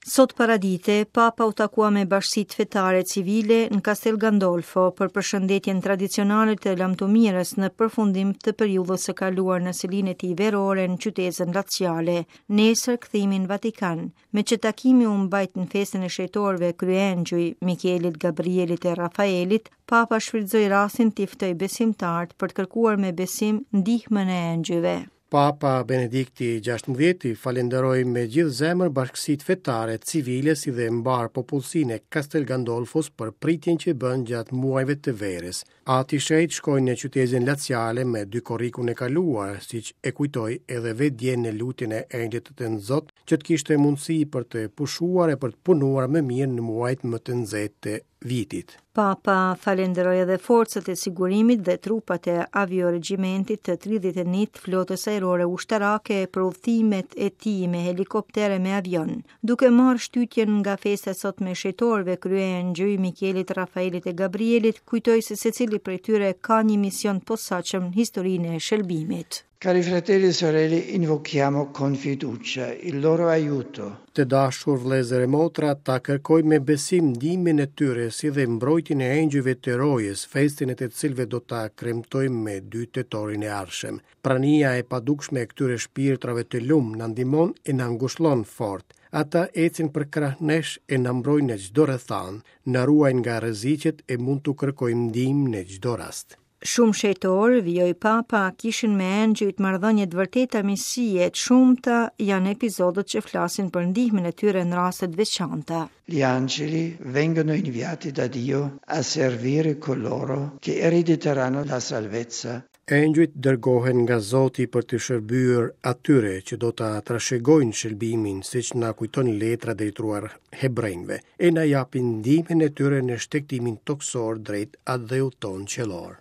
Sot paradite, Papa u takua me bashkësitë fetare civile në Castel Gandolfo për përshëndetjen tradicionale të lamtumirës në përfundim të periudhës së kaluar në selinë e tij verore në qytezën laciale. Nesër kthimi në Vatikan. Meqë takimi u mbajt në festën e shenjtorëve kryeëngjëj, Mikelit, Gabrielit e Rafaelit, Papa shfrytëzoi rastin t'i ftojë besimtarët për të kërkuar me besim ndihmën e engjëjve. Papa Benedikti XVI falënderoi me gjithë zemër bashkësitë fetare, civile si dhe mbarë popullsinë e Castel Gandolfos për pritjen që bënë gjatë muajve të verës. Ati i Shenjtë shkoi në qytezën laciale me 2 korrikun e kaluar, siç e kujtoi edhe vetë dje në lutjen e Engjëllit të Tënzot, që të kishte mundësi për të pushuar e për të punuar më mirë në muajt më të nxehtë të vitit. Papa falënderoi edhe forcat e sigurimit dhe trupat e avioregjimentit të 31 të flotës ajrore ushtarake për udhëtimet e tij me helikopter e me avion. Duke marrë shtytjen nga festa e sotme e shenjtorëve kryeëngjëj Mikelit, Rafaelit e Gabrielit, kujtoi se secili prej tyre ka një mision të posaçëm në historinë e shëlbimit. Cari fratelli e sorelle, invochiamo con fiducia il loro aiuto. Të dashur vëllezër e motra, ta kërkojmë me besim ndihmën e tyre, si dhe mbrojtjen e engjëjve të rojës, festën e të cilëve do ta kremtojmë me 2 tetorin e ardhshëm. Prania e padukshme e këtyre shpirtrave të lum na ndihmon e na ngushllon fort. Ata ecin përkrah nesh e na mbrojnë në çdo rrethanë, na ruajnë nga rreziqet e mund t'u kërkojmë ndihmë në çdo rast. Shumë shenjtorë, vijoi Papa, kishin me engjëjt marrëdhënie të vërteta miqësie, të shumta janë epizodet që flasin për ndihmën e tyre në raste të veçanta. Gli angeli vengono inviati da Dio a servire coloro che erediteranno la salvezza. Engjëjt dërgohen nga Zoti për të shërbyer atyre që do ta trashëgojnë shëlbimin, siç na kujton letra drejtuar hebrenjve, e na japin ndihmën e tyre në shtegtimin tokësor drejt atdheut tonë qiellor.